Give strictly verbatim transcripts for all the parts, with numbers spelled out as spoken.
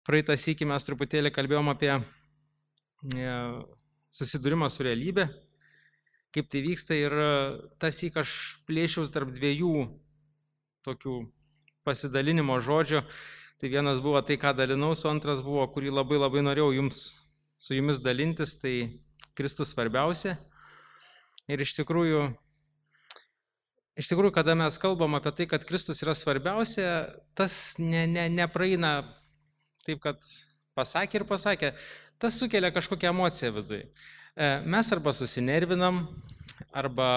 Praeitą sykį mes truputėlį kalbėjom apie susidūrimą su realybė, kaip tai vyksta ir tas syk aš plėšiaus tarp dviejų tokių pasidalinimo žodžių. Tai vienas buvo tai, ką dalinausi, antras buvo, kurį labai labai norėjau jums, su jumis dalintis, tai Kristus svarbiausia. Ir iš tikrųjų, iš tikrųjų, kada mes kalbam apie tai, kad Kristus yra svarbiausia, tas ne, ne, nepraeina taip, kad pasakė ir pasakė, tas sukelia kažkokią emociją viduje. Mes arba susinervinam, arba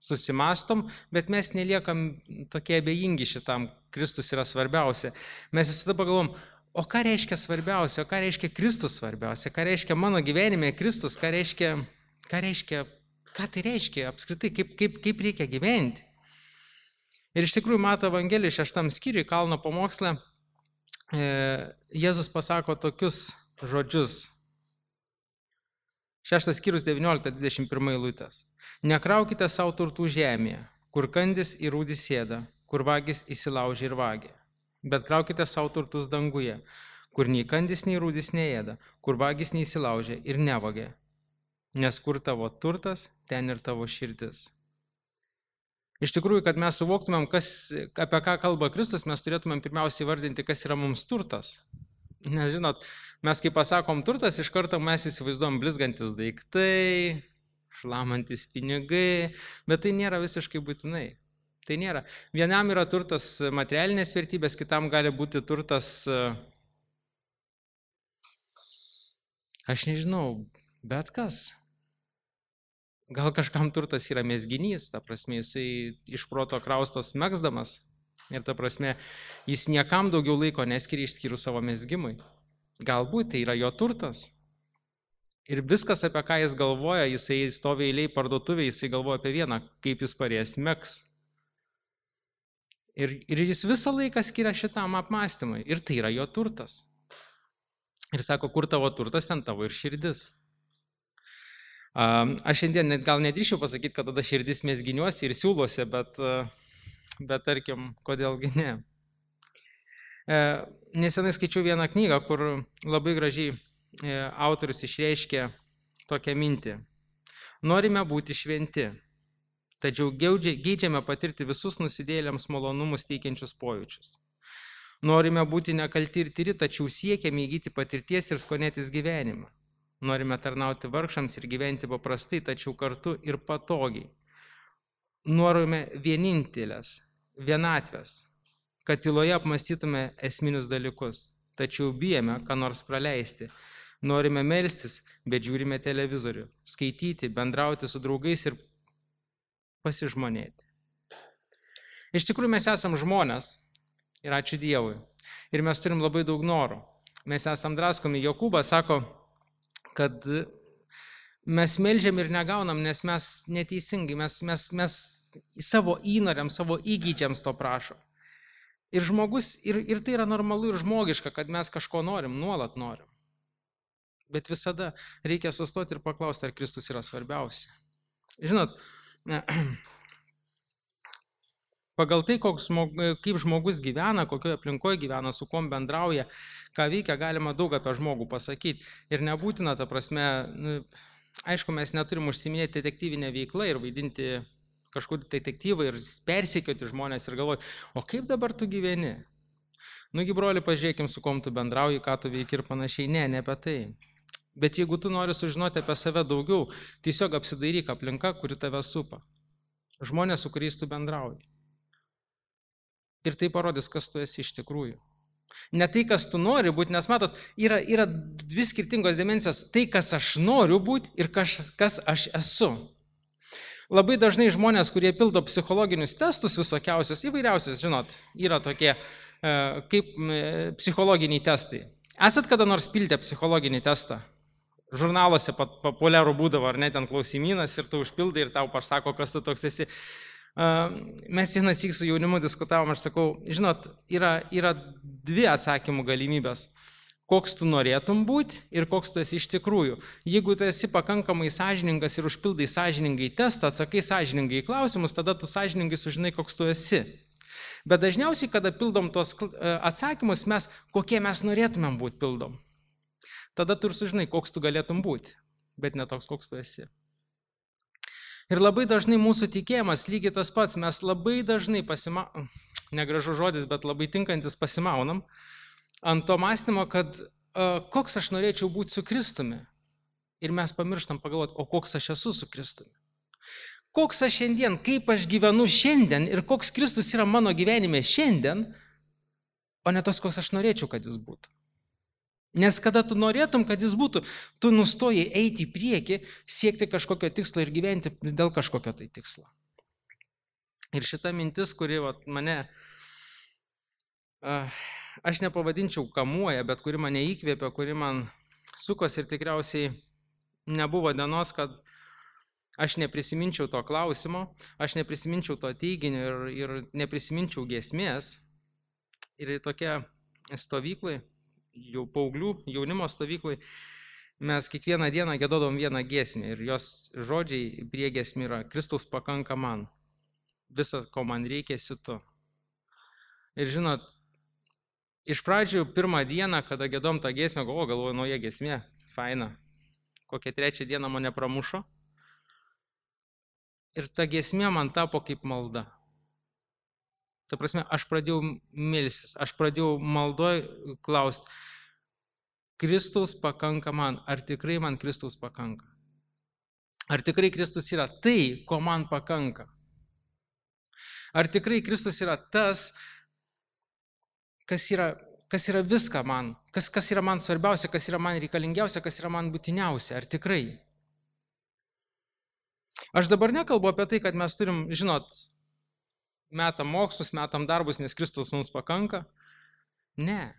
susimastom, bet mes neliekam tokie abejingi šitam, Kristus yra svarbiausia. Mes visada pagalvom, o ką reiškia svarbiausia, o ką reiškia Kristus svarbiausia, ką reiškia mano gyvenime Kristus, ką reiškia, ką reiškia, ką tai reiškia apskritai, kaip, kaip, kaip reikia gyventi. Ir iš tikrųjų Mato Evangelijos šeštam skyriui, Kalno pamoksle, Jėzus pasako tokius žodžius. Šeštas skyrius devyniolikta dvidešimt pirma eilutės. Nekraukite savo turtų žemėje, kur kandis ir rūdis sėda, kur vagis įsilaužia ir vagia. Bet kraukite savo turtus danguje, kur nei kandis, nei rūdis neėda, kur vagis neįsilaužia ir nevagia. Nes kur tavo turtas, ten ir tavo širdis. Iš tikrųjų, kad mes suvoktumėm, kas, apie ką kalba Kristus, mes turėtumėm pirmiausiai vardinti, kas yra mums turtas. Nes žinot, mes kai pasakom turtas, iš karto mes įsivaizduom blizgantis daiktai, šlamantis pinigai, bet tai nėra visiškai būtinai. Tai nėra. Vienam yra turtas materialinės vertybės, kitam gali būti turtas, aš nežinau, bet kas. Gal kažkam turtas yra mezginys, ta prasme, jisai iš proto kraustos megzdamas ir ta prasme, jis niekam daugiau laiko neskiria išskyrus savo mezgimui. Galbūt tai yra jo turtas. Ir viskas, apie ką jis galvoja, jisai stovi eiliai parduotuvėje, jisai galvoja apie vieną, kaip jis parės megs. Ir, ir jis visą laiką skiria šitam apmąstymui. Ir tai yra jo turtas. Ir sako, kur tavo turtas, ten tavo ir širdis. Aš šiandien net gal nedrįšiu pasakyti, kad tada širdis mezginiuosi ir siūluose, bet, bet tarkim, kodėlgi ne. Nesenai skaičiau vieną knygą, kur labai gražiai autorius išreiškė tokią mintį. Norime būti šventi, tačiau geidžiame patirti visus nusidėjėliams malonumus teikiančius pojūčius. Norime būti nekalti ir tyri, tačiau siekiame įgyti patirties ir skonėtis gyvenimą. Norime tarnauti vargšams ir gyventi paprastai, tačiau kartu ir patogiai. Norime vienintelės, vienatvės, kad tyloje apmąstytume esminius dalykus, tačiau bijome, ką nors praleisti. Norime melstis, bet žiūrime televizorių, skaityti, bendrauti su draugais ir pasižmonėti. Iš tikrųjų mes esam žmonės ir ačiū Dievui. Ir mes turim labai daug norų. Mes esam draskomi. Jokūbas sako, kad mes meldžiam ir negaunam, nes mes neteisingai, mes, mes, mes savo įnoriam, savo įgydžiams to prašom. Ir žmogus, ir, ir tai yra normalu ir žmogiška, kad mes kažko norim, nuolat norim. Bet visada reikia sustoti ir paklausti, ar Kristus yra svarbiausia. Žinot, pagal tai, koks, kaip žmogus gyvena, kokioje aplinkoje gyvena, su kuom bendrauja, ką veikia, galima daug apie žmogų pasakyti. Ir nebūtina, ta prasme, nu, aišku, mes neturim užsiminėti detektyvinę veiklą ir vaidinti kažkur detektyvą ir persekioti žmonės ir galvoti, o kaip dabar tu gyveni? Nugi, broli, pažiūrėkim, su kuom tu bendrauji, ką tu veiki ir panašiai. Ne, ne apie tai. Bet jeigu tu nori sužinoti apie save daugiau, tiesiog apsidairyk aplinka, kuri tave supa. Žmonės, su kuriais tu bendrauji. Ir tai parodys, kas tu esi iš tikrųjų. Ne tai, kas tu nori būti, nes matot, yra, yra dvi skirtingos dimensijos. Tai, kas aš noriu būti ir kas, kas aš esu. Labai dažnai žmonės, kurie pildo psichologinius testus visokiausius, įvairiausius, žinot, yra tokie e, kaip e, psichologiniai testai. Esat kada nors pildę psichologinį testą? Žurnaluose populiarų būdavo, ar ne, ten klausimynas ir tu užpildai ir tau pasako, kas tu toks esi. Mes vienas syk su jaunimu diskutavom, aš sakau, žinot, yra, yra dvi atsakymų galimybės. Koks tu norėtum būti ir koks tu esi iš tikrųjų. Jeigu tu esi pakankamai sąžiningas ir užpildai sąžiningai testą, atsakai sąžiningai į klausimus, tada tu sąžiningai sužinai, koks tu esi. Bet dažniausiai, kada pildom tos atsakymus, mes, kokie mes norėtumėm būti pildom. Tada tu ir sužinai, koks tu galėtum būti, bet ne toks, koks tu esi. Ir labai dažnai mūsų tikėjimas lygiai tas pats, mes labai dažnai pasimaunam, negražus žodis, bet labai tinkantis pasimaunam, ant to mąstymo, kad uh, koks aš norėčiau būti su Kristumi. Ir mes pamirštam pagalvoti, o koks aš esu su Kristumi. Koks aš šiandien, kaip aš gyvenu šiandien ir koks Kristus yra mano gyvenime šiandien, o ne tas, koks aš norėčiau, kad jis būtų. Nes kada tu norėtum, kad jis būtų, tu nustoji eiti į priekį, siekti kažkokio tikslo ir gyventi dėl kažkokio tai tikslo. Ir šita mintis, kuri vat, mane, aš nepavadinčiau kamuoja, bet kuri mane įkvėpė, kuri man sukos ir tikriausiai nebuvo dienos, kad aš neprisiminčiau to klausimo, aš neprisiminčiau to teiginio ir, ir neprisiminčiau giesmės. Ir tokia stovyklai, jau paauglių, jaunimo stovyklai, mes kiekvieną dieną giedodom vieną giesmę ir jos žodžiai prie giesmė yra Kristus pakanka man, visas, ko man reikia, esi tu. Ir žinot, iš pradžių pirmą dieną, kada giedom tą giesmę, o galvoju, nauja giesmė, faina, kokią trečią dieną mane pramušo ir ta giesmė man tapo kaip malda. Ta prasme, aš pradėjau melstis, aš pradėjau maldoj klausti, Kristus pakanka man, ar tikrai man Kristus pakanka? Ar tikrai Kristus yra tai, ko man pakanka? Ar tikrai Kristus yra tas, kas yra, kas yra viską man, kas, kas yra man svarbiausia, kas yra man reikalingiausia, kas yra man būtiniausia, ar tikrai? Aš dabar nekalbu apie tai, kad mes turim, žinot, metam mokslus, metam darbus, nes Kristus mums pakanka. Ne,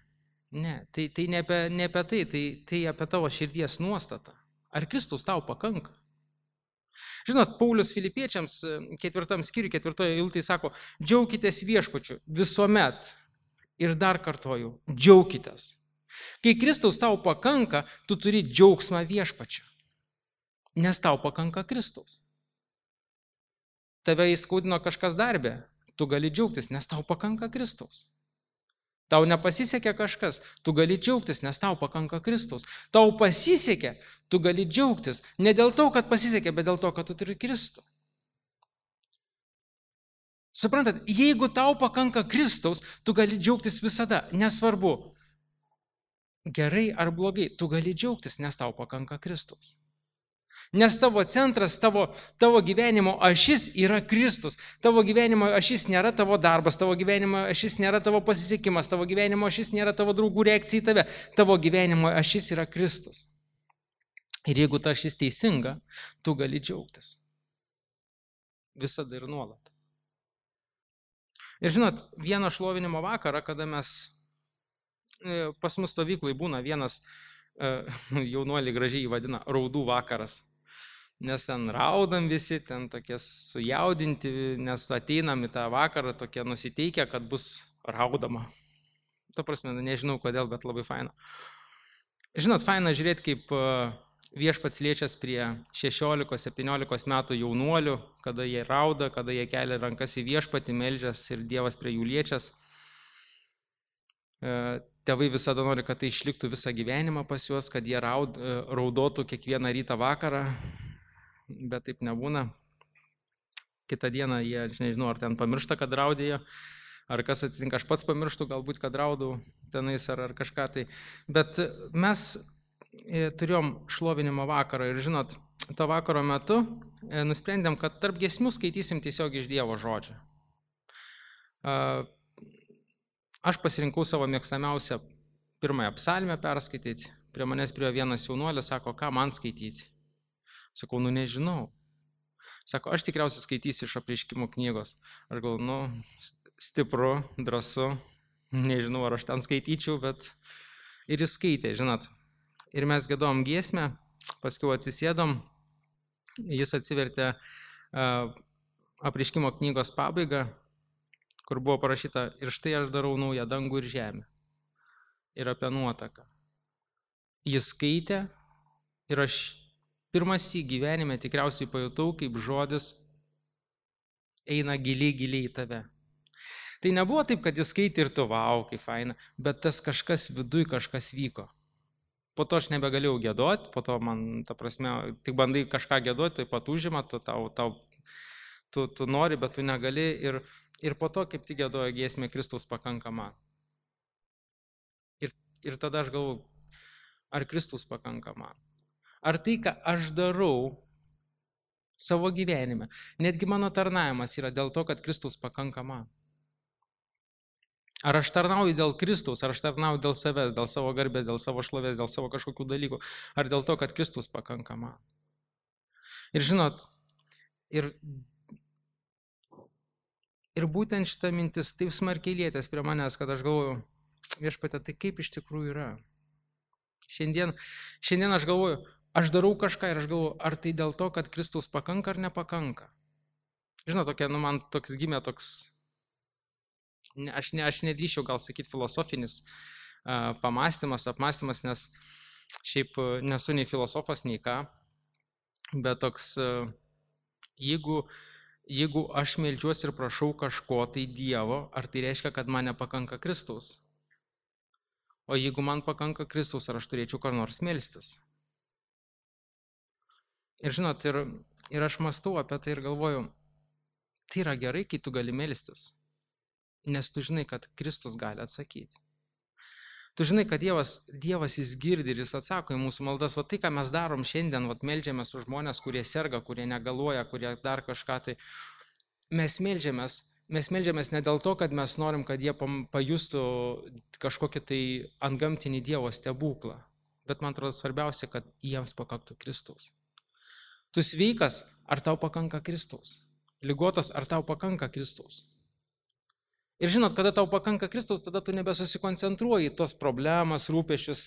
ne, tai, tai ne, apie, ne apie tai, tai, tai apie tavo širdies nuostatą. Ar Kristus tau pakanka? Žinot, Paulius Filipiečiams ketvirtam skyriui, ketvirtoje eilutėje sako, džiaukitės viešpačiu visuomet. Ir dar kartoju, džiaukitės. Kai Kristaus tau pakanka, tu turi džiaugsmą viešpačiu. Nes tau pakanka Kristaus. Tave įskaudino kažkas darbė, tu gali džiaugtis, nes tau pakanka Kristaus. Tau nepasisekė kažkas, tu gali džiaugtis, nes tau pakanka Kristaus. Tau pasisekė, tu gali džiaugtis, ne dėl to, kad pasisekė, bet dėl to, kad tu turi Kristų. Suprantat, jeigu tau pakanka Kristaus, tu gali džiaugtis visada, nesvarbu, gerai ar blogai, tu gali džiaugtis, nes tau pakanka Kristaus. Nes tavo centras, tavo, tavo gyvenimo ašis yra Kristus. Tavo gyvenimo ašis nėra tavo darbas, tavo gyvenimo ašis nėra tavo pasisekimas, tavo gyvenimo ašis nėra tavo draugų reakcija į tave. Tavo gyvenimo ašis yra Kristus. Ir jeigu ta ašis teisinga, tu gali džiaugtis. Visada ir nuolat. Ir žinot, vieną šlovinimo vakarą, kada mes, pas mus stovyklai būna vienas, jaunuoliai gražiai jį vadina, raudų vakaras. Nes ten raudam visi, ten tokie sujaudinti, nes ateinam į tą vakarą tokie nusiteikę, kad bus raudama. Ta prasme, nežinau kodėl, bet labai faina. Žinot, faina žiūrėti, kaip viešpats liečias prie šešiolikos septyniolikos metų jaunuolių, kada jie rauda, kada jie kelia rankas į viešpatį, meldžias ir Dievas prie jų liečias. Tėvai visada nori, kad tai išliktų visą gyvenimą pas juos, kad jie raud, raudotų kiekvieną rytą vakarą, bet taip nebūna. Kitą dieną jie, aš nežinau, ar ten pamiršta, kad raudėjo, ar kas atsitinka, aš pats pamirštu, galbūt, kad raudau tenais ar, ar kažką tai. Bet mes turėjom šlovinimo vakarą ir žinot, to vakaro metu nusprendėm, kad tarp giesmių skaitysim tiesiog iš Dievo žodžio. Aš pasirinkau savo mėgstamiausią pirmąją psalmę perskaityti. Prie manęs prie vienas jaunuolis sako, ką man skaityti. Sakau, nu nežinau. Sako, aš tikriausiai skaitysiu iš Apreiškimo knygos. Aš galvoju, nu, stipru, drąsu, nežinau, ar aš ten skaityčiau, bet ir jis skaitė, žinot. Ir mes giedom giesmę, paskui atsisėdom, jis atsivertė uh, Apreiškimo knygos pabaigą, kur buvo parašyta, ir štai aš darau naują dangų ir žemę. Ir apie nuotaką. Jis skaitė ir aš pirmas į gyvenime tikriausiai pajutau, kaip žodis eina giliai, giliai į tave. Tai nebuvo taip, kad jis skaitė ir tu, vau, kaip faina, bet tas kažkas viduj kažkas vyko. Po to aš nebegalėjau gėduoti, po to man, ta prasme, tik bandai kažką gėduoti, tai pat užima, tu, tau, tau, tu, tu nori, bet tu negali. Ir, ir po to, kaip tik gėdojo giesmė, Kristus pakanka man. Ir, ir tada aš galvoju, ar Kristus pakanka man? Ar tai, ką aš darau savo gyvenime, netgi mano tarnavimas yra dėl to, kad Kristus pakanka man? Ar aš tarnauju dėl Kristaus, ar aš tarnauju dėl savęs, dėl savo garbės, dėl savo šlovės, dėl savo kažkokių dalykų, ar dėl to, kad Kristus pakanka man? Ir žinot, ir, ir būtent šita mintis taip smarkiai lietės prie manęs, kad aš galvoju, Viešpatie, tai kaip iš tikrųjų yra? Šiandien, šiandien aš galvoju, aš darau kažką ir aš galvoju, ar tai dėl to, kad Kristus pakanka ar nepakanka? Žinot, tokia, nu, man toks gimė toks, ne, aš, ne, aš nedrįščiau gal sakyti filosofinis uh, pamastymas, apmastymas, nes šiaip nesu nei filosofas, nei ką, bet toks, uh, jeigu, jeigu aš meldžiuosi ir prašau kažko tai Dievo, ar tai reiškia, kad man nepakanka Kristaus? O jeigu man pakanka Kristaus, ar aš turėčiau kur nors melstis? Ir žinot, ir, ir aš mąstau apie tai ir galvoju, tai yra gerai, kai tu gali melstis, nes tu žinai, kad Kristus gali atsakyti. Tu žinai, kad Dievas, Dievas jis girdi ir jis atsako į mūsų maldas. O tai, ką mes darom šiandien, vat, meldžiamės už žmonės, kurie serga, kurie negaluoja, kurie dar kažką, tai mes meldžiamės, mes meldžiamės ne dėl to, kad mes norim, kad jie pajustų kažkokį tai antgamtinį Dievo stebuklą, bet man atrodo svarbiausia, kad jiems pakaktų Kristaus. Tu sveikas, ar tau pakanka Kristaus? Ligotas, ar tau pakanka Kristaus? Ir žinot, kada tau pakanka Kristaus, tada tu nebesusikoncentruoji tos problemas, rūpesčius,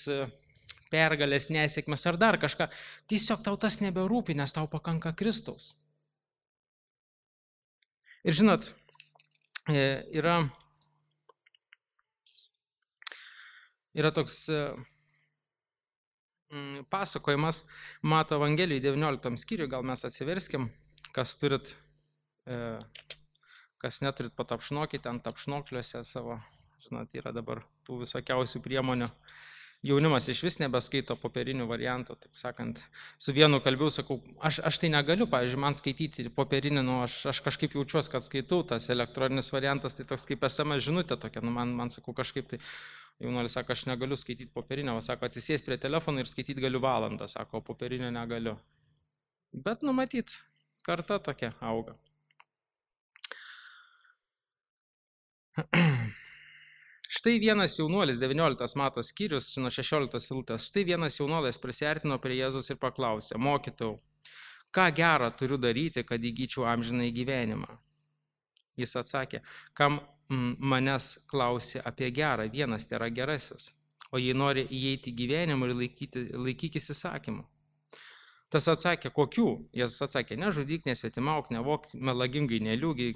pergalės, nesėkmes ar dar kažką. Tiesiog tau tas neberūpi, nes tau pakanka Kristaus. Ir žinot, yra, yra toks pasakojimas Mato Evangelijai devynioliktam skyriui, gal mes atsiverskim, kas turit, kas neturit, patapšnokit ant tapšnokliuose savo, žinot, yra dabar tų visokiausių priemonių. Jaunimas iš vis nebeskaito popierinių variantų, taip sakant, su vienu kalbiu sakau, aš, aš tai negaliu, pavyzdžiui, man skaityti popierinį, nu, aš, aš kažkaip jaučiuosi, kad skaitau, tas elektroninis variantas, tai toks kaip es em es žinutė tokia, nu, man, man sakau, kažkaip tai, jaunuolis sako, aš negaliu skaityti popierinio, o sako, atsisės prie telefono ir skaityti galiu valandą, sako, o popierinio negaliu. Bet, nu, matyt, karta tokia auga. Štai vienas jaunuolis, devynioliktas Mato skyrius, nuo šešioliktos eilutės, štai vienas jaunuolis prisiartino prie Jėzaus ir paklausė, mokytojau, ką gerą turiu daryti, kad įgyčiau amžinąjį gyvenimą? Jis atsakė, kam manęs klausi apie gerą, vienas tai yra gerasis, o jei nori įeiti į gyvenimą ir laikyti, laikykis įsakymų. Tas atsakė, kokių? Jėzus atsakė, nežudyk, nesvetimauk, nevok, melagingai neliūgi,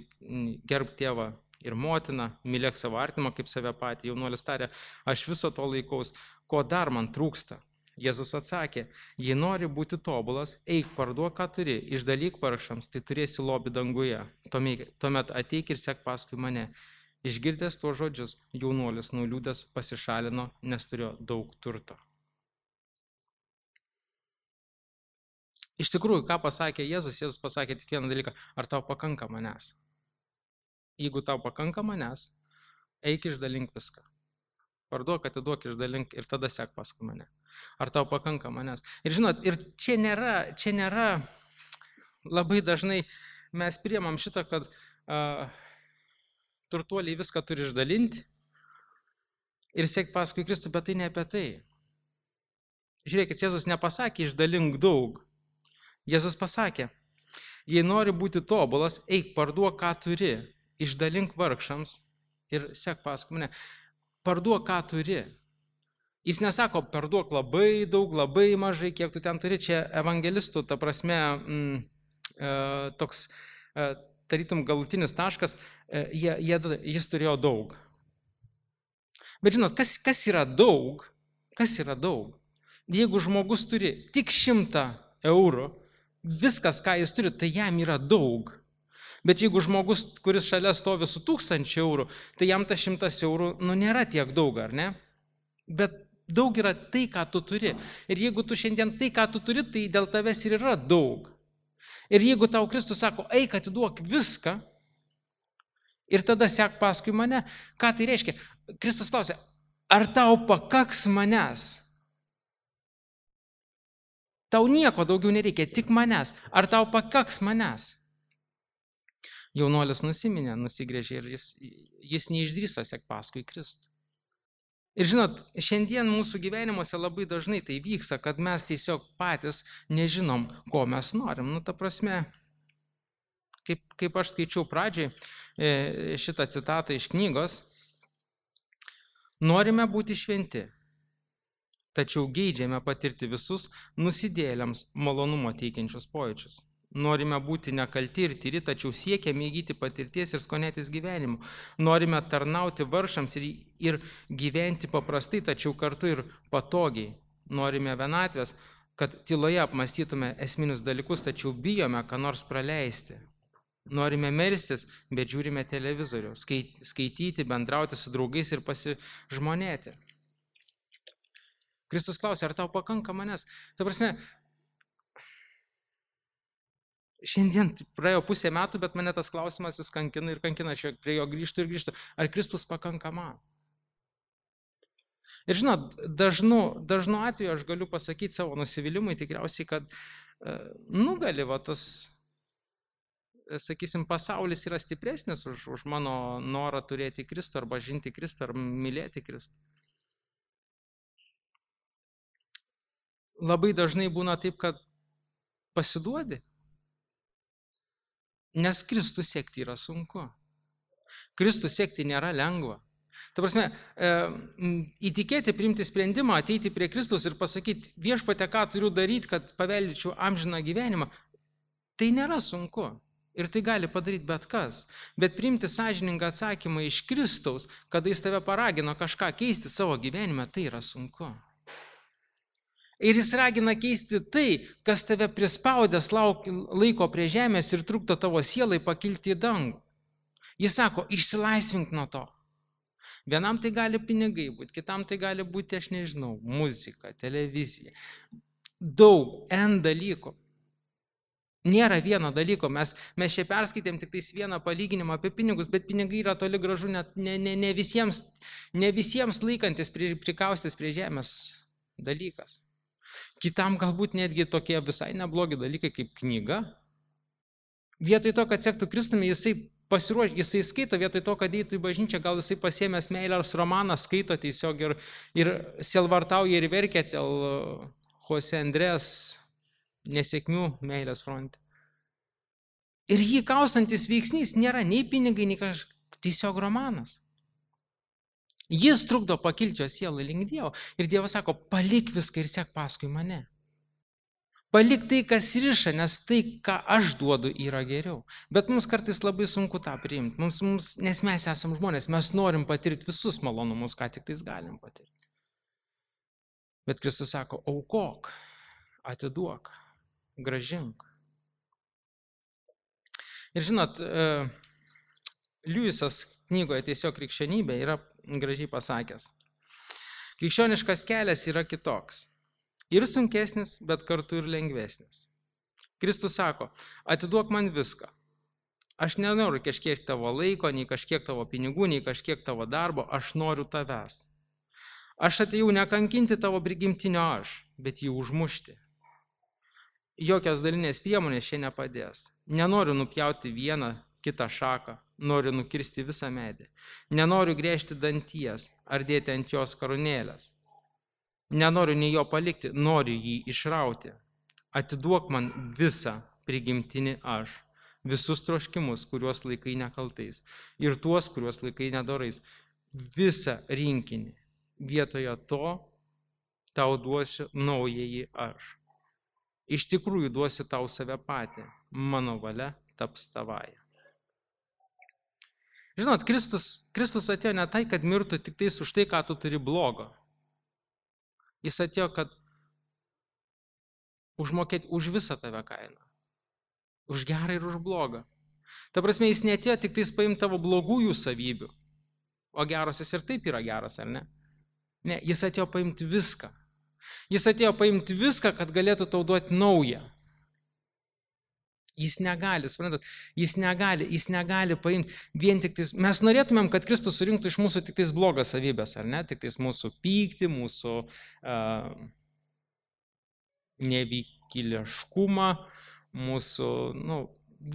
gerb tėvą ir motiną, mylėk savo artimą kaip save patį. Jaunuolis tarė, aš viso to laikaus, ko dar man trūksta? Jėzus atsakė, jei nori būti tobulas, eik parduok, ką turi, išdalyk vargšams, tai turėsi lobį danguje. Tuomet ateik ir sek paskui mane. Išgirdęs tuos žodžius, jaunuolis nuliūdęs pasišalino, nes turėjo daug turto. Iš tikrųjų, ką pasakė Jėzus? Jėzus pasakė tik vieną dalyką, ar tau pakanka manęs? Jeigu tau pakanka manęs, eik išdalink viską. Parduok, atiduok, išdalink ir tada sek paskui mane. Ar tau pakanka manęs? Ir žinot, ir čia nėra, čia nėra labai dažnai mes priemam šitą, kad uh, turtuoliai viską turi išdalinti ir sek paskui Kristų, bet tai ne apie tai. Žiūrėkit, Jėzus nepasakė išdalink daug. Jėzus pasakė, jei nori būti tobulas, eik parduok, ką turi. Išdalink vargšams ir sek paskui mane. Parduok, ką turi. Jis nesako, parduok labai daug, labai mažai, kiek tu ten turi. Čia evangelistų, ta prasme, m, e, toks e, tarytum galutinis taškas, e, jie, jie, jis turėjo daug. Bet žinot, kas, kas yra daug? Kas yra daug? Jeigu žmogus turi tik šimtą eurų, viskas, ką jis turi, tai jam yra daug. Bet jeigu žmogus, kuris šalia stovi su tūkstančiu eurų, tai jam ta šimtas eurų, nu, nėra tiek daug, ar ne? Bet daug yra tai, ką tu turi. Ir jeigu tu šiandien tai, ką tu turi, tai dėl tavęs ir yra daug. Ir jeigu tau Kristus sako, eik atiduok viską ir tada sek paskui mane, ką tai reiškia? Kristus klausia, ar tau pakaks manęs? Tau nieko daugiau nereikia, tik manęs. Ar tau pakaks manęs? Jaunuolis nusiminė, nusigrėžė ir jis, jis neišdrįso sek paskui Kristų. Ir žinot, šiandien mūsų gyvenimuose labai dažnai tai vyksta, kad mes tiesiog patys nežinom, ko mes norim. Nu, ta prasme, kaip, kaip aš skaičiau pradžiai šitą citatą iš knygos, norime būti šventi, tačiau geidžiame patirti visus nusidėjėliams malonumo teikiančius pojūčius. Norime būti nekalti ir tyri, tačiau siekiame įgyti patirties ir skonėtis gyvenimu. Norime tarnauti vargšams ir, ir gyventi paprastai, tačiau kartu ir patogiai. Norime vienatvės, kad tyloje apmąstytume esminius dalykus, tačiau bijome ką nors praleisti. Norime melstis, bet žiūrime televizorių, skaityti, bendrauti su draugais ir pasižmonėti. Kristus klausia, ar tau pakanka manęs? Ta prasme, šiandien praėjo pusė metų, bet mane tas klausimas vis kankina ir kankina, aš prie jo grįžtu ir grįžtu. Ar Kristus pakanka man? Ir žinot, dažnu, dažnu atveju aš galiu pasakyti savo nusivylimui tikriausiai, kad nugali va tas, sakysim, pasaulis yra stipresnis už, už mano norą turėti Kristų arba žinti Kristų ar mylėti Kristų. Labai dažnai būna taip, kad pasiduodi. Nes Kristų sekti yra sunku. Kristų sekti nėra lengva. Ta prasme, e, įtikėti, priimti sprendimą, ateiti prie Kristus ir pasakyti, viešpate, ką turiu daryti, kad paveldyčiau amžiną gyvenimą, tai nėra sunku. Ir tai gali padaryti bet kas. Bet priimti sąžiningą atsakymą iš Kristaus, kada jis tave paragino kažką keisti savo gyvenime, tai yra sunku. Ir jis ragina keisti tai, kas tave prispaudęs laiko prie žemės ir trukdo tavo sielai pakilti į dangų. Jis sako, išsilaisvink nuo to. Vienam tai gali pinigai būti, kitam tai gali būti, aš nežinau, muzika, televizija. Daug, N dalykų. Nėra vieno dalyko. Mes, mes čia perskaitėm tik tais vieną palyginimą apie pinigus, bet pinigai yra toli gražu net ne, ne, ne, visiems, ne visiems laikantis, prikaustis prie žemės dalykas. Kitam galbūt netgi tokie visai neblogi dalykai kaip knyga. Vietoj to, kad sektų Kristumi, jisai pasiruošė, jisai skaito, vietoj to, kad eitų į bažnyčią, gal jisai pasiėmęs meilės romaną, skaito tiesiog ir, ir sielvartauja ir verkia dėl Jose Andrės nesėkmių meilės fronte. Ir jį kaustantis veiksnys nėra nei pinigai, nei kažkoks tiesiog romanas. Jis trukdo pakilti jo sielą link Dievo. Ir Dievas sako, palik viską ir sek paskui mane. Palik tai, kas riša, nes tai, ką aš duodu, yra geriau. Bet mums kartais labai sunku tą priimti. Mums, mums, nes mes esam žmonės, mes norim patirti visus malonumus, ką tik tais galim patirti. Bet Kristus sako, aukok, atiduok, grąžink. Ir žinot, Liujisas knygoje Tiesiog krikščionybė yra gražiai pasakęs. Krikščioniškas kelias yra kitoks. Ir sunkesnis, bet kartu ir lengvesnis. Kristus sako, atiduok man viską. Aš nenoriu kažkiek tavo laiko, nei kažkiek tavo pinigų, nei kažkiek tavo darbo, aš noriu tavęs. Aš atėjau nekankinti tavo prigimtinio aš, bet jį užmušti. Jokios dalinės priemonės čia nepadės. Nenoriu nupjauti vieną kitą šaką, noriu nukirsti visą medį. Nenoriu grėžti danties ar dėti ant jos karūnėlės. Nenoriu nei jo palikti, noriu jį išrauti. Atiduok man visą prigimtinį aš, visus troškimus, kuriuos laikai nekaltais, ir tuos, kuriuos laikai nedorais. Visą rinkinį. Vietoje to tau duosiu naująjį aš. Iš tikrųjų duosiu tau save patį. Mano valia taps tavaja. Žinot, Kristus, Kristus atėjo ne tai, kad mirtų tik tais už tai, ką tu turi blogo. Jis atėjo, kad užmokėti už visą tave kainą. Už gerą ir už blogą. Ta prasme, jis neatėjo tik tais paimti tavo blogųjų savybių, o gerosios ir taip yra geros, ar ne? Ne, jis atėjo paimti viską. Jis atėjo paimti viską, kad galėtų tau duoti naują. Jis negali, suprantat, jis negali, jis negali paimti vien tik tais, mes norėtumėm, kad Kristus surinktų iš mūsų tik tais blogas savybės, ar ne? Tik tais mūsų pyktį, mūsų uh, nevykėliškumą, mūsų, nu,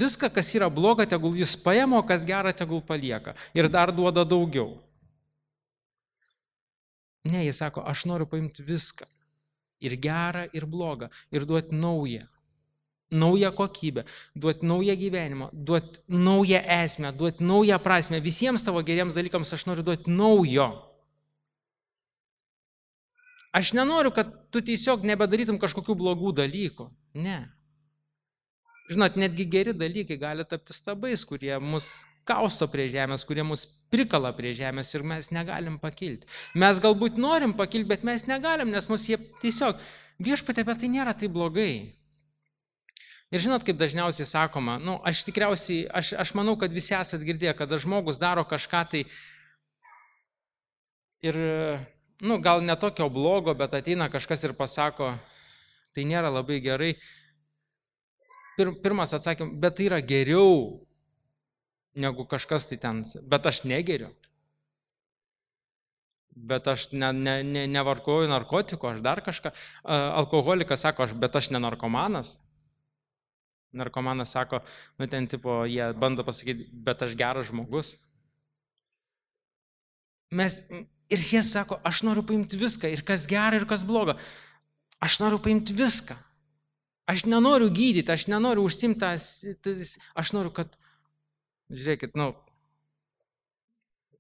viską, kas yra bloga, tegul jis paima, o kas gera, tegul palieka. Ir dar duoda daugiau. Ne, jis sako, aš noriu paimti viską. Ir gerą, ir blogą. Ir duoti naują. Naują kokybę. Duoti naują gyvenimą. Duoti naują esmę. Duoti naują prasmę. Visiems tavo geriems dalykams aš noriu duoti naujo. Aš nenoriu, kad tu tiesiog nebedarytum kažkokių blogų dalykų. Ne. Žinot, netgi geri dalykai gali tapti stabais, kurie mus kausto prie žemės, kurie mus prikala prie žemės ir mes negalim pakilti. Mes galbūt norim pakilti, bet mes negalim, nes mus jie tiesiog viešpatie, bet tai nėra tai blogai. Ir žinot, kaip dažniausiai sakoma, nu, aš tikriausiai, aš, aš manau, kad visi esat girdėję, kada žmogus daro kažką tai ir, nu, gal ne tokio blogo, bet ateina kažkas ir pasako, tai nėra labai gerai. Pirmas atsakymas, bet tai yra geriau negu kažkas tai ten, bet aš negeriu. Bet aš ne, ne, ne, nevarkoju narkotikų, aš dar kažką. Alkoholikas sako, aš, bet aš ne narkomanas. Narkomanas sako, nu ten tipo, jie bando pasakyti, bet aš geras žmogus. Mes, ir jie sako, aš noriu paimti viską, ir kas gera, ir kas bloga. Aš noriu paimti viską. Aš nenoriu gydyti, aš nenoriu užsimti, aš noriu, kad, žiūrėkit, nu,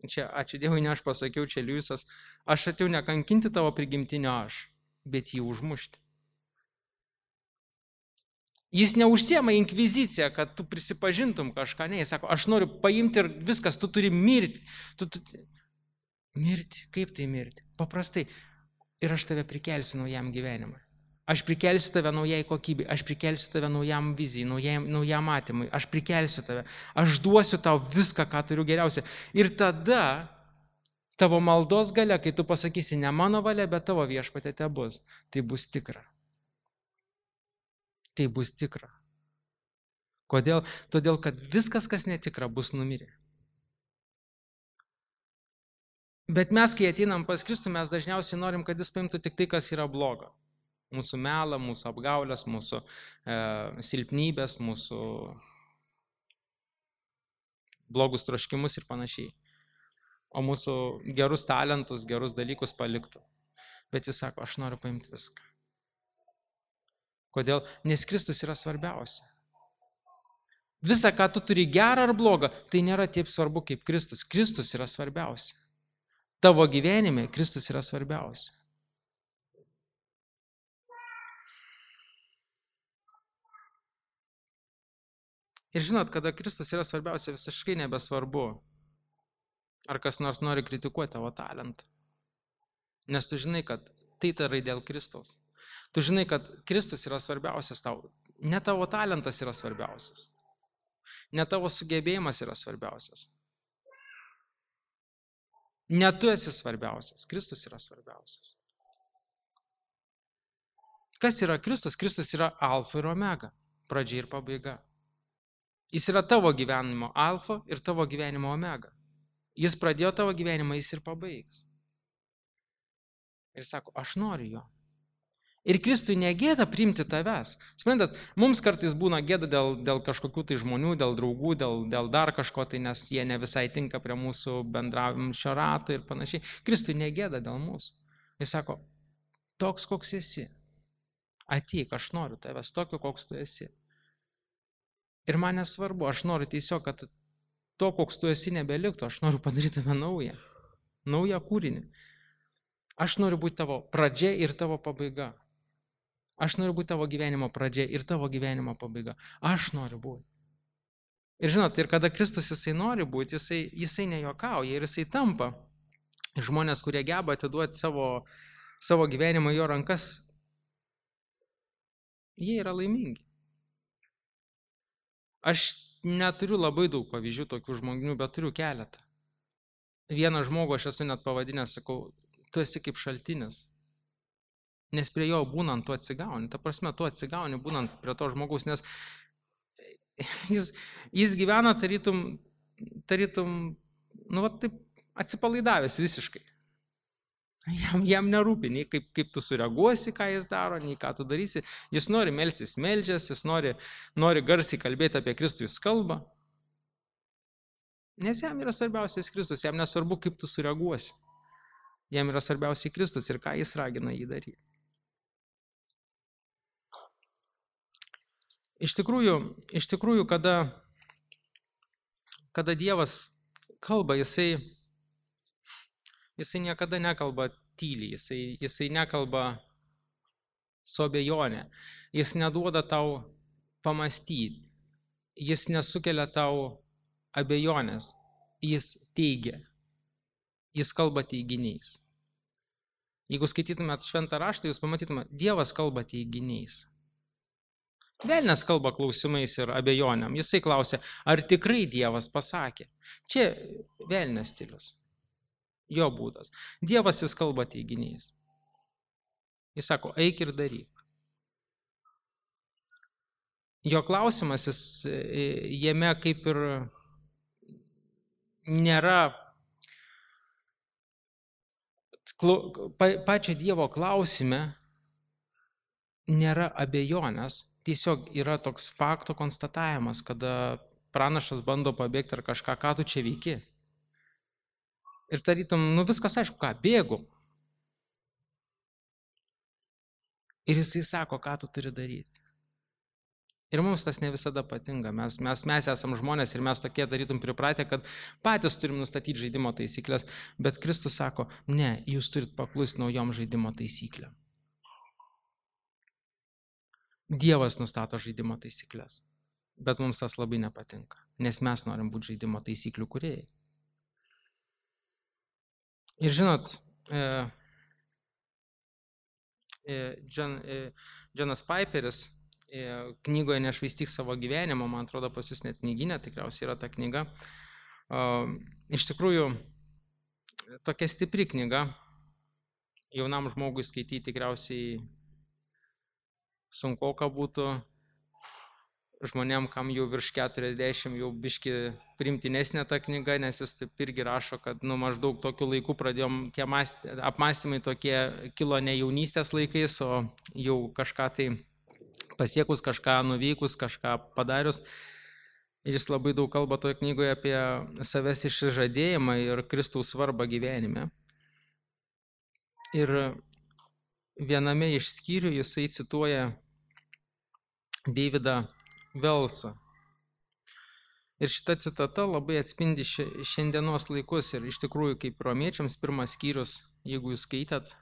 čia, ačiū Dievui, ne aš pasakiau, čia Liujisas, aš atėjau nekankinti tavo prigimtinio aš, bet jį užmušti. Jis neužsiema inkviziciją, kad tu prisipažintum kažką, ne, jis sako, aš noriu paimti ir viskas, tu turi mirti. Tu, tu, mirti, kaip tai mirti? Paprastai, ir aš tave prikelsiu naujam gyvenimui. Aš prikelsiu tave naujai kokybei, aš prikelsiu tave naujam vizijai, naujam, naujam matymui, aš prikelsiu tave, aš duosiu tau viską, ką turiu geriausia. Ir tada tavo maldos galia, kai tu pasakysi, ne mano valia, bet tavo viešpatie te bus, tai bus tikra. Tai bus tikra. Kodėl? Todėl, kad viskas, kas netikra, bus numirę. Bet mes, kai ateinam pas Kristų, mes dažniausiai norim, kad jis paimtų tik tai, kas yra bloga. Mūsų melą, mūsų apgaulės, mūsų e, silpnybės, mūsų blogus troškimus ir panašiai. O mūsų gerus talentus, gerus dalykus paliktų. Bet jis sako, aš noriu paimti viską. Kodėl? Nes Kristus yra svarbiausia. Visa, ką tu turi gerą ar blogą, tai nėra taip svarbu kaip Kristus. Kristus yra svarbiausia. Tavo gyvenime Kristus yra svarbiausia. Ir žinot, kada Kristus yra svarbiausia, visiškai nebesvarbu, ar kas nors nori kritikuoti tavo talentą. Nes tu žinai, kad tai darai dėl Kristaus. Tu žinai, kad Kristus yra svarbiausias tau. Ne tavo talentas yra svarbiausias. Ne tavo sugebėjimas yra svarbiausias. Ne tu esi svarbiausias. Kristus yra svarbiausias. Kas yra Kristus? Kristus yra alfa ir omega. Pradžia ir pabaiga. Jis yra tavo gyvenimo alfa ir tavo gyvenimo omega. Jis pradėjo tavo gyvenimą, jis ir pabaigs. Ir sako, aš noriu jo. Ir Kristui negėda priimti tavęs. Suprantat, mums kartais būna gėda dėl, dėl kažkokių tai žmonių, dėl draugų, dėl, dėl dar kažko, tai nes jie ne visai tinka prie mūsų bendravimšio rato ir panašiai. Kristui negėda dėl mūsų. Jis sako, toks koks esi. Ateik, aš noriu tavęs, tokio koks tu esi. Ir man nesvarbu, aš noriu tiesiog, kad to, koks tu esi, nebeliktų. Aš noriu padaryti tave naują. Naują kūrinį. Aš noriu būti tavo pradžia ir tavo pabaiga. Aš noriu būti tavo gyvenimo pradžia ir tavo gyvenimo pabaiga. Aš noriu būti. Ir žinot, ir kada Kristus jisai nori būti, jisai, jisai nejuokauja ir jisai tampa. Žmonės, kurie geba atiduoti savo, savo gyvenimą į jo rankas, jie yra laimingi. Aš neturiu labai daug pavyzdžių tokių žmonių, bet turiu keletą. Vieną žmogų aš esu net pavadinęs, sakau, tu esi kaip šaltinis. Nes prie jo būnant tu atsigauni. Ta prasme, tu atsigauni būnant prie to žmogaus, nes jis, jis gyvena tarytum, tarytum, nu, va, taip atsipalaidavęs visiškai. Jam, jam nerūpi, nei kaip, kaip tu sureaguosi, ką jis daro, nei ką tu darysi. Jis nori melstis, meldžias, jis nori, nori garsiai kalbėti apie Kristų, jis kalba. Nes jam yra svarbiausias Kristus, jam nesvarbu, kaip tu sureaguosi. Jam yra svarbiausiai Kristus ir ką jis ragina jį daryti. Iš tikrųjų, iš tikrųjų kada, kada Dievas kalba, jisai, jisai niekada nekalba tyliai, jisai, jisai nekalba su abejonė, jis neduoda tau pamastyti, jis nesukelia tau abejonės, jis teigia, jis kalba teiginiais. Jeigu skaitytumėt šventą raštą, jūs pamatytumėt, Dievas kalba teiginiais. Velnias kalba klausimais ir abejonėm. Jisai klausia, ar tikrai Dievas pasakė. Čia velnias stilius. Jo būdas. Dievas jis kalba teiginiais. Jis sako, eik ir daryk. Jo klausimas, jis, jame kaip ir nėra pačio Dievo klausime, nėra abejonės, tiesiog yra toks fakto konstatavimas, kada pranašas bando pabėgti ar kažką, ką tu čia veiki. Ir tarytum, nu viskas aišku, ką, bėgu. Ir jisai sako, ką tu turi daryti. Ir mums tas ne visada patinka. Mes, mes, mes esam žmonės ir mes tokie darytum pripratę, kad patys turim nustatyti žaidimo taisyklės, bet Kristus sako, ne, jūs turit paklusti naujom žaidimo taisyklėm. Dievas nustato žaidimo taisyklės, bet mums tas labai nepatinka, nes mes norim būti žaidimo taisyklių kūrėjai. Ir žinot, e, e, John, e, Johnas Piperis e, knygoje Nešvaistyk savo gyvenimo, man atrodo pas jūs net knyginė, tikriausiai yra ta knyga. E, iš tikrųjų, tokia stipri knyga, jaunam žmogui skaityti tikriausiai sunku, ką būtų žmonėm, kam jau virš keturiasdešimt, jau biški primtinesnė ta knyga, nes jis taip irgi rašo, kad nu, maždaug tokiu laiku pradėjom, tie mąsty, apmąstymai tokie kilo ne jaunystės laikais, o jau kažką tai pasiekus, kažką nuveikus, kažką padarius. Ir jis labai daug kalba toje knygoje apie savęs išsižadėjimą ir Kristaus svarbą gyvenime. Ir viename iš skyrių jisai cituoja Davidą Velsą. Ir šita citata labai atspindi šiandienos laikus ir iš tikrųjų kaip romiečiams pirmas skyrius, jeigu jūs skaitėt,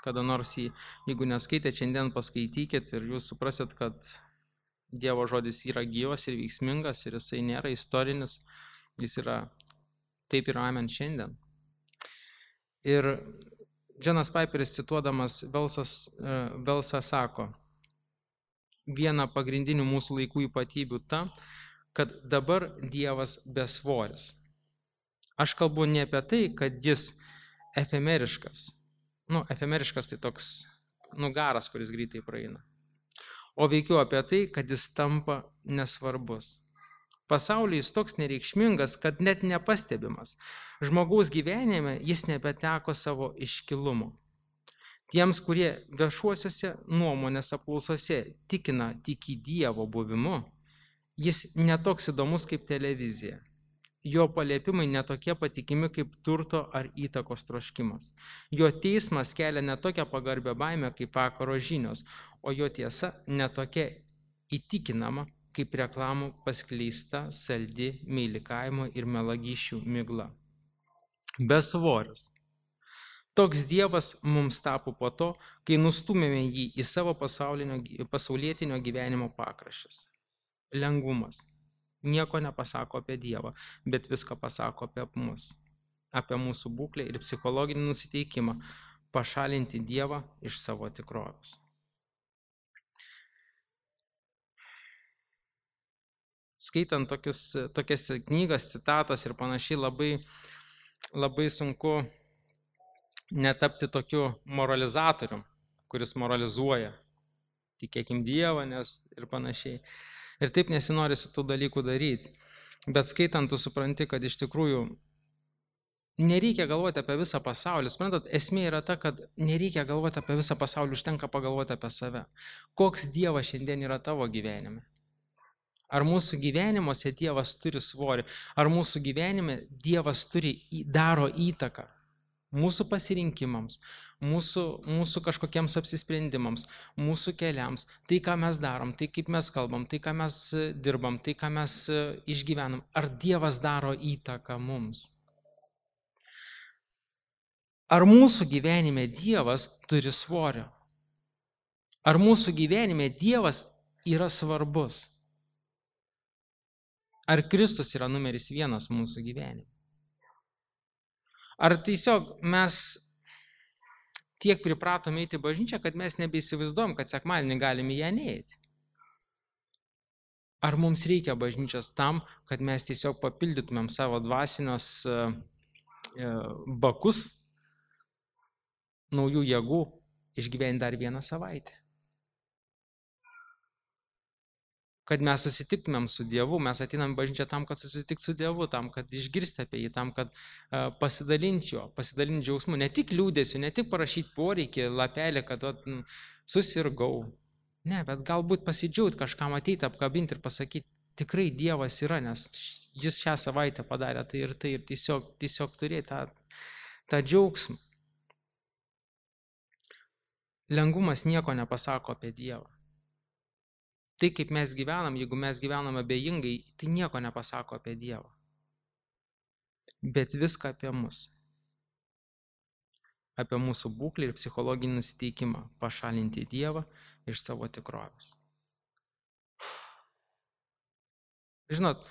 kada nors jį, jeigu neskaitėt, šiandien paskaitykit ir jūs suprasit, kad Dievo žodis yra gyvas ir veiksmingas ir jisai nėra istorinis, jis yra taip ir amen šiandien. Ir Johnas Piperis cituodamas Velsas, Velsą sako, viena pagrindinių mūsų laikų ypatybių ta, kad dabar Dievas besvoris. Aš kalbu ne apie tai, kad jis efemeriškas. Nu, efemeriškas tai toks nugaras, kuris greitai praeina. O veikiau apie tai, kad jis tampa nesvarbus. Pasaulyje jis toks nereikšmingas, kad net nepastebimas. Žmogaus gyvenime jis nebeteko savo iškilumo. Tiems, kurie viešuosiuose nuomonės apklausose tikina tik į Dievo buvimu, jis netoks įdomus kaip televizija. Jo paliepimai netokie patikimi kaip turto ar įtakos troškimas. Jo teismas kelia netokią pagarbę baimę kaip vakaro žinios, o jo tiesa netokia įtikinama kaip reklamų paskleista saldi meilikavimo ir melagysčių migla. Besvoris. Toks Dievas mums tapo po to, kai nustūmėme jį į savo pasaulietinio gyvenimo pakraščius. Lengvumas. Nieko nepasako apie Dievą, bet viską pasako apie mus, apie mūsų būklę ir psichologinį nusiteikimą pašalinti Dievą iš savo tikrovės. skaitant tokius, tokias knygas, citatas ir panašiai, labai, labai sunku netapti tokiu moralizatorium, kuris moralizuoja. Tikėkim Dievą, nes ir panašiai. Ir taip nesinori su tų dalykų daryti. Bet skaitant, tu supranti, kad iš tikrųjų nereikia galvoti apie visą pasaulį. Suprantat, esmė yra ta, kad nereikia galvoti apie visą pasaulį, užtenka pagalvoti apie save. Koks Dievas šiandien yra tavo gyvenime? Ar mūsų gyvenimuose Dievas turi svorį? Ar mūsų gyvenime Dievas turi, daro įtaką mūsų pasirinkimams, mūsų, mūsų kažkokiems apsisprendimams, mūsų keliams, tai, ką mes darom, tai, kaip mes kalbam, tai, ką mes dirbam, tai, ką mes išgyvenam. Ar Dievas daro įtaką mums? Ar mūsų gyvenime Dievas turi svorio? Ar mūsų gyvenime Dievas yra svarbus? Ar Kristus yra numeris vienas mūsų gyvenime? Ar tiesiog mes tiek pripratome eiti į bažnyčią, kad mes nebeįsivaizduojam, kad sekmadienį galime ją neeiti? Ar mums reikia bažnyčios tam, kad mes tiesiog papildytumėm savo dvasinius bakus, naujų jėgų, išgyventi dar vieną savaitę? Kad mes susitiktumėm su Dievu, mes ateinam bažnyčią tam, kad susitikti su Dievu, tam, kad išgirsti apie jį, tam, kad uh, pasidalinti jo, pasidalinti džiaugsmu, ne tik liūdėsiu, ne tik parašyti poreikį, lapelį, kad vat, susirgau. Ne, bet galbūt pasidžiaugt kažkam ateiti, apkabinti ir pasakyti, tikrai Dievas yra, nes jis šią savaitę padarė tai ir tai ir tiesiog, tiesiog turėti tą, tą džiaugsmą. Lengvumas nieko nepasako apie Dievą. Tai, kaip mes gyvenam, jeigu mes gyvenam abejingai, tai nieko nepasako apie Dievą. Bet viską apie mus. Apie mūsų būklę ir psichologinį nusiteikimą pašalinti Dievą iš savo tikrovės. Žinot,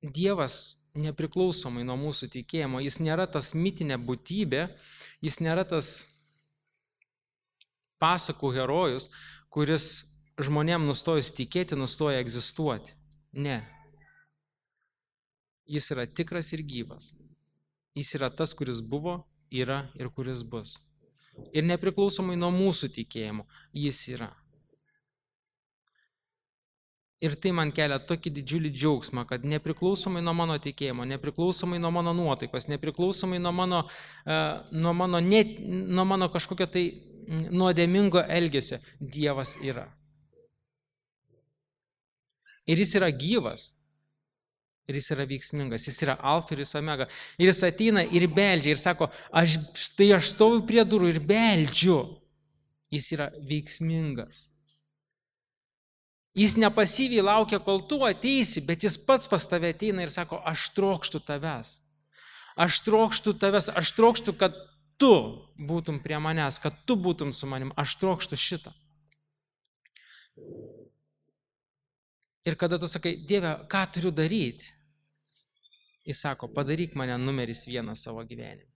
Dievas nepriklausomai nuo mūsų tikėjimo, jis nėra tas mitinė būtybė, jis nėra tas pasakų herojus, kuris žmonėm nustojus tikėti, nustoja egzistuoti. Ne. Jis yra tikras ir gyvas. Jis yra tas, kuris buvo, yra ir kuris bus. Ir nepriklausomai nuo mūsų tikėjimo, jis yra. Ir tai man kelia tokį didžiulį džiaugsmą, kad nepriklausomai nuo mano tikėjimo, nepriklausomai nuo mano nuotaikos, nepriklausomai nuo mano, uh, nuo mano, net, nuo mano kažkokio tai nuodėmingo elgesio, Dievas yra. Ir jis yra gyvas, ir jis yra veiksmingas, jis yra alfa ir jis omega. Ir jis ateina ir beldžia ir sako, aš, štai aš stoviu prie durų ir beldžiu. Jis yra veiksmingas. Jis nepasyviai laukia, kol tu ateisi, bet jis pats pas tave ateina ir sako, aš trokštu tavęs. Aš trokštu tavęs, aš trokštu, kad tu būtum prie manęs, kad tu būtum su manim, aš trokštu šitą. Ir kada tu sakai, Dieve, ką turiu daryti? Jis sako, padaryk mane numeris vienas savo gyvenime.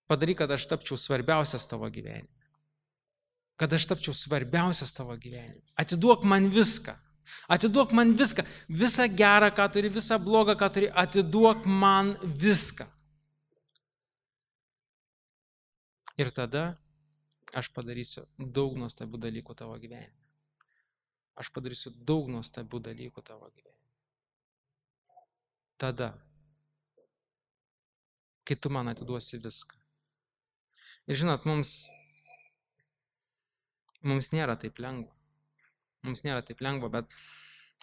Padaryk, kad aš tapčiau svarbiausias tavo gyvenime. Kad aš tapčiau svarbiausias tavo gyvenime. Atiduok man viską. Atiduok man viską. Visą gerą, ką turi, visą blogą, ką turi. Atiduok man viską. Ir tada aš padarysiu daug nuostabių dalykų tavo gyvenime. Aš padarysiu daug nuostabių dalykų tavo gyvenime. Tada, kai tu man atiduosi viską. Ir žinot, mums, mums nėra taip lengva. Mums nėra taip lengva, bet,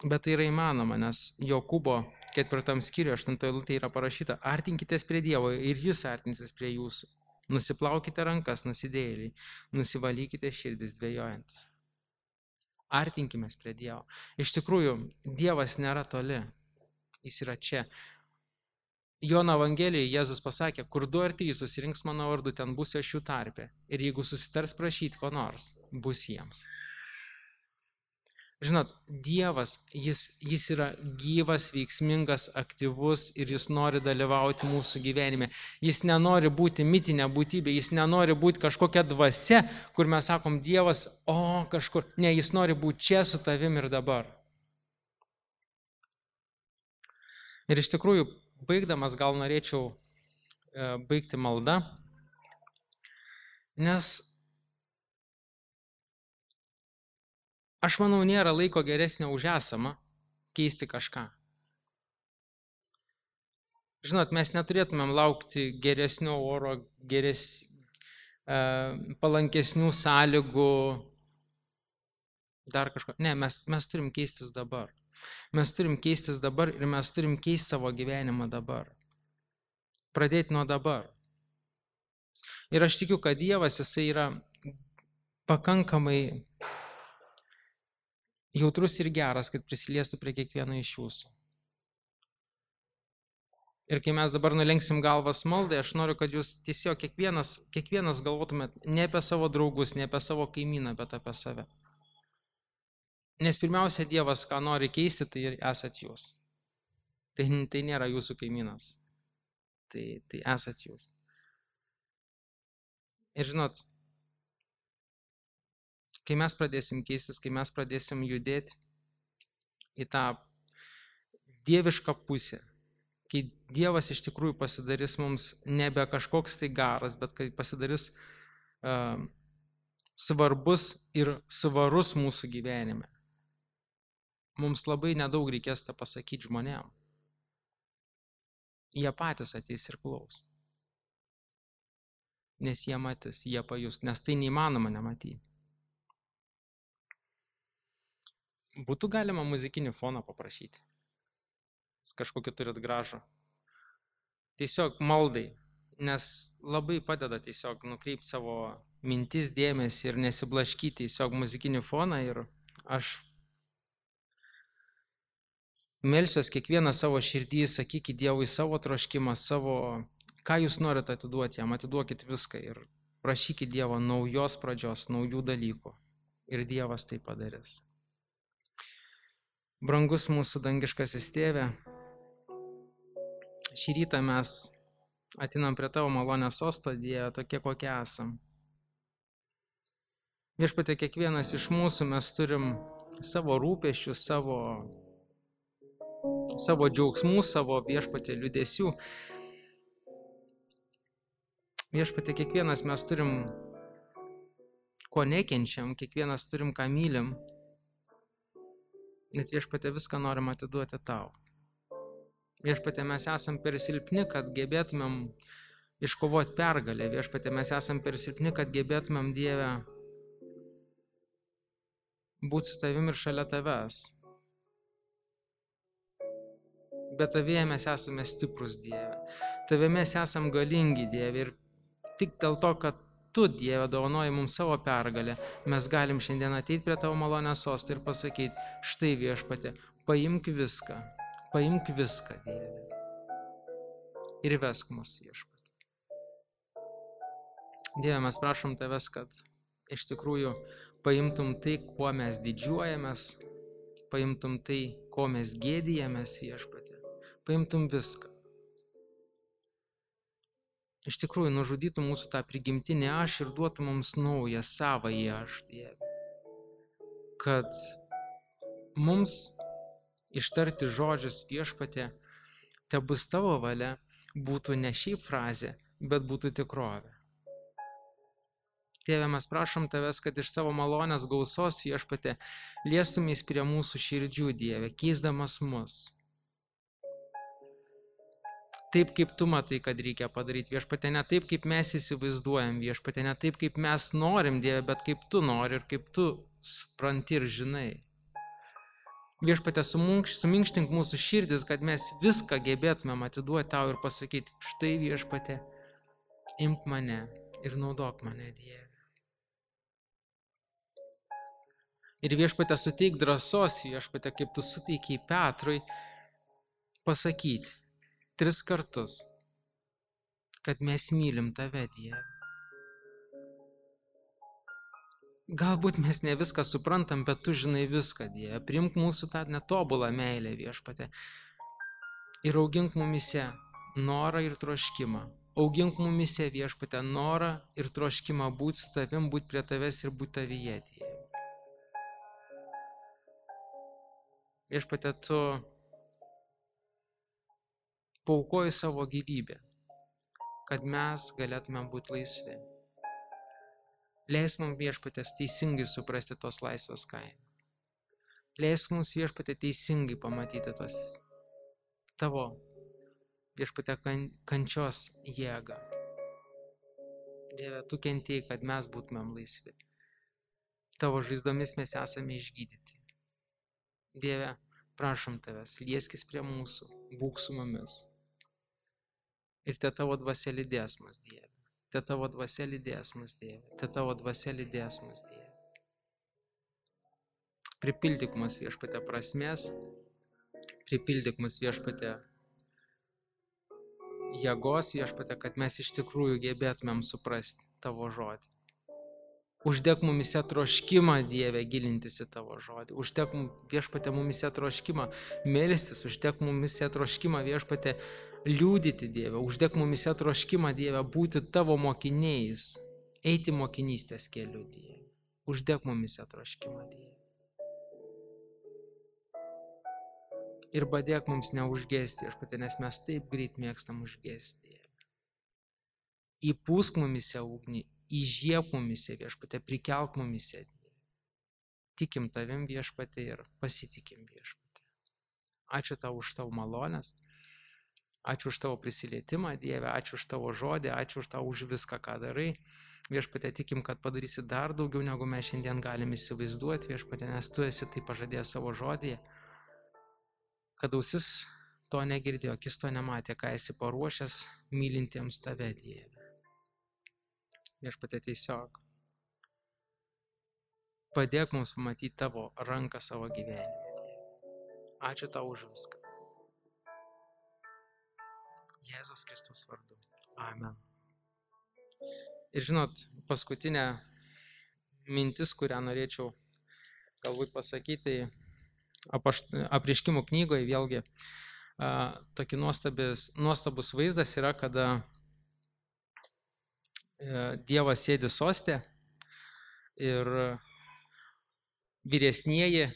bet tai yra įmanoma, nes Jokūbo ketvirtam skyriuje, aštuntoje eilutėje yra parašyta, artinkitės prie Dievo ir jis artinsis prie jūsų. Nusiplaukite rankas, nusidėjėliai, nusivalykite širdis dvejojantis. Artinkimės prie Dievo. Iš tikrųjų, Dievas nėra toli. Jis yra čia. Jono Evangelijoje Jėzus pasakė, kur du ar trys susirinks mano vardu, ten būsiu aš jų tarpe. Ir jeigu susitars prašyti ko nors, bus jiems. Žinot, Dievas, jis, jis yra gyvas, veiksmingas, aktyvus ir jis nori dalyvauti mūsų gyvenime. Jis nenori būti mitinė būtybė, jis nenori būti kažkokia dvasia, kur mes sakom Dievas, o kažkur. Ne, jis nori būti čia su tavim ir dabar. Ir iš tikrųjų, baigdamas gal norėčiau e, baigti maldą, nes aš manau, nėra laiko geresnio už esamą keisti kažką. Žinot, mes neturėtumėm laukti geresnio oro, geres, e, palankesnių sąlygų, dar kažko. Ne, mes, mes turim keistis dabar. Mes turim keistis dabar ir mes turim keisti savo gyvenimą dabar. Pradėti nuo dabar. Ir aš tikiu, kad Dievas, jisai yra pakankamai jautrus ir geras, kad prisiliestų prie kiekvieno iš jūsų. Ir kai mes dabar nulenksim galvas maldai, aš noriu, kad jūs tiesiog kiekvienas, kiekvienas galvotumėt ne apie savo draugus, ne apie savo kaimyną, bet apie save. Nes pirmiausia, Dievas, ką nori keisti, tai ir esat jūs. Tai, tai nėra jūsų kaimynas. Tai, tai esat jūs. Ir žinot, kai mes pradėsim keistis, kai mes pradėsim judėti į tą dievišką pusę, kai Dievas iš tikrųjų pasidarys mums nebe kažkoks tai garas, bet kai pasidarys uh, svarbus ir svarus mūsų gyvenime. Mums labai nedaug reikės tą pasakyti žmonėm. Jie patys ateis ir klaus. Nes jie matys, jie pajus, nes tai neįmanoma nematyti. Būtų galima muzikinį foną paprašyti. Kažkokį turit gražų. Tiesiog maldai, nes labai padeda tiesiog nukreipti savo mintis, dėmesį ir nesiblaškyti tiesiog muzikinį foną ir aš melsiuos kiekvieną savo širdį, sakykit Dievui savo troškimą, savo, ką jūs norite atiduoti jam, atiduokit viską ir prašykit Dievo naujos pradžios, naujų dalykų. Ir Dievas tai padarys. Brangus mūsų dangiškasis Tėve, šį rytą mes atinam prie tavo malonės sosto, Dieve, tokie kokie esam. Viešpatie, kiekvienas iš mūsų mes turim savo rūpesčių, savo savo džiaugsmų, savo viešpatie liūdesių. Viešpatie, kiekvienas mes turim, ko nekenčiam, kiekvienas turim, ką mylim, net viešpatie viską norim atiduoti tau. Viešpatie, mes esam per silpni, kad gebėtumėm iškovoti pergalę. Viešpatie, mes esam per silpni, kad gebėtumėm, Dieve, būti su tavim ir šalia tavęs. Bet tavėje mes esame stiprus, Dieve. Tavėje mes esame galingi, Dieve. Ir tik dėl to, kad tu, Dieve, dovanoji mums savo pergalę, mes galim šiandien ateiti prie tavo malonės sostą ir pasakyti, štai viešpatie, paimk viską, paimk viską, Dieve. Ir vesk mus, viešpatie. Dieve, mes prašom tavęs, kad iš tikrųjų paimtum tai, kuo mes didžiuojamės, paimtum tai, ko mes gėdijamės, viešpatie. Paimtum viską. Iš tikrųjų, nužudytum mūsų tą prigimtinį aš ir duotum mums naują, savąjį aš, Dieve. Kad mums ištarti žodžius viešpatie, te bus tavo valia, būtų ne šiaip frazė, bet būtų tikrovė. Tėve, mes prašom tavęs, kad iš savo malonės gausos viešpatie liestumės prie mūsų širdžių, Dieve, keisdamas mus. Taip, kaip tu matai, kad reikia padaryti, viešpatie, ne taip, kaip mes įsivaizduojam, viešpatie, ne taip, kaip mes norim, Dieve, bet kaip tu nori ir kaip tu supranti ir žinai. Viešpatie, suminkštink mūsų širdis, kad mes viską gebėtumėm atiduoti tau ir pasakyti, štai viešpatie, imk mane ir naudok mane, Dieve. Ir viešpatie, suteik drąsos, viešpatie, kaip tu suteikiai Petrui, pasakyti tris kartus, kad mes mylim tave, Dieve. Galbūt mes ne viską suprantam, bet tu žinai viską, Dieve. Priimk mūsų tą netobulą meilę, viešpatie. Ir augink mumise norą ir troškimą. Augink mumise, viešpatie, norą ir troškimą būti su tavim, būti prie tavęs ir būti tavyje, Dieve. Viešpatie, tu paukoji savo gyvybę, kad mes galėtume būti laisvi. Leis mums viešpatės teisingai suprasti tos laisvės kainą. Leis mums viešpatė teisingai pamatyti tos tavo viešpatė kan, kančios jėgą. Dieve, tu kentėjai, kad mes būtumėm laisvi. Tavo žaizdomis mes esame išgydyti. Dieve, prašom tavęs, lieskis prie mūsų, būk su mumis. Ir te tavo dvasia lydės mus, Dieve. Te tavo dvasia lydės mus, Dieve. Te tavo dvasia lydės mus, Dieve. Pripildyk mus viešpatė prasmės, pripildyk mus viešpatė jėgos, viešpatė, kad mes iš tikrųjų gebėtumėm suprasti tavo žodį. Uždek mumise troškimą, Dieve, gilintis į tavo žodį. Uždek viešpatė mumise troškimą melstis, uždek mumise troškimą viešpatė liūdyti, Dieve. Uždek mumise troškimą, Dieve, būti tavo mokiniais, eiti mokinystės keliu, Dieve. Uždek mumise troškimą, Dieve. Ir padėk mums neužgesti, viešpatė, nes mes taip greit mėgstam užgesti, Dieve. Įpūsk mumise ugnį, įžiebk mumise, viešpatė, prikelk mumise, Dieve. Tikim tavim, viešpatė, ir pasitikim, viešpatė. Ačiū tau už tavo malonės, ačiū už tavo prisilietimą, Dieve, ačiū už tavo žodį, ačiū už tau už viską, ką darai. Viešpatė, tikim, kad padarysi dar daugiau, negu mes šiandien galim įsivaizduoti, viešpatė, nes tu esi tai pažadėjęs savo žodyje. Kad ausis to negirdėjo, akis to nematė, ką esi paruošęs mylintiems tave, Dieve. Viešpatė, tiesiog padėk mums pamatyti tavo ranką savo gyvenime, Dieve. Ačiū tau už viską. Jėzus Kristus vardu. Amen. Ir žinot, paskutinė mintis, kurią norėčiau galbūt pasakyti, Apreiškimų knygoje vėlgi tokį nuostabis, nuostabus vaizdas yra, kada Dievas sėdi soste ir vyresnieji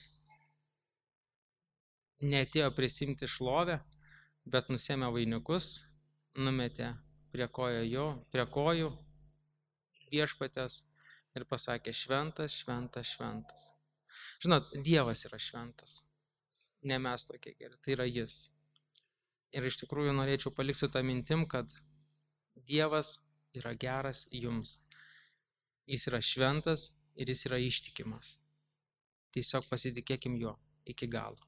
neatėjo prisimti šlovę, bet nusėmė vainikus, numetė prie kojų jo, prie kojų viešpatės ir pasakė: šventas, šventas, šventas. Žinot, Dievas yra šventas, ne mes tokie geri, tai yra jis. Ir iš tikrųjų norėčiau palikti tą mintim, kad Dievas yra geras jums. Jis yra šventas ir jis yra ištikimas. Tiesiog pasitikėkim juo iki galo.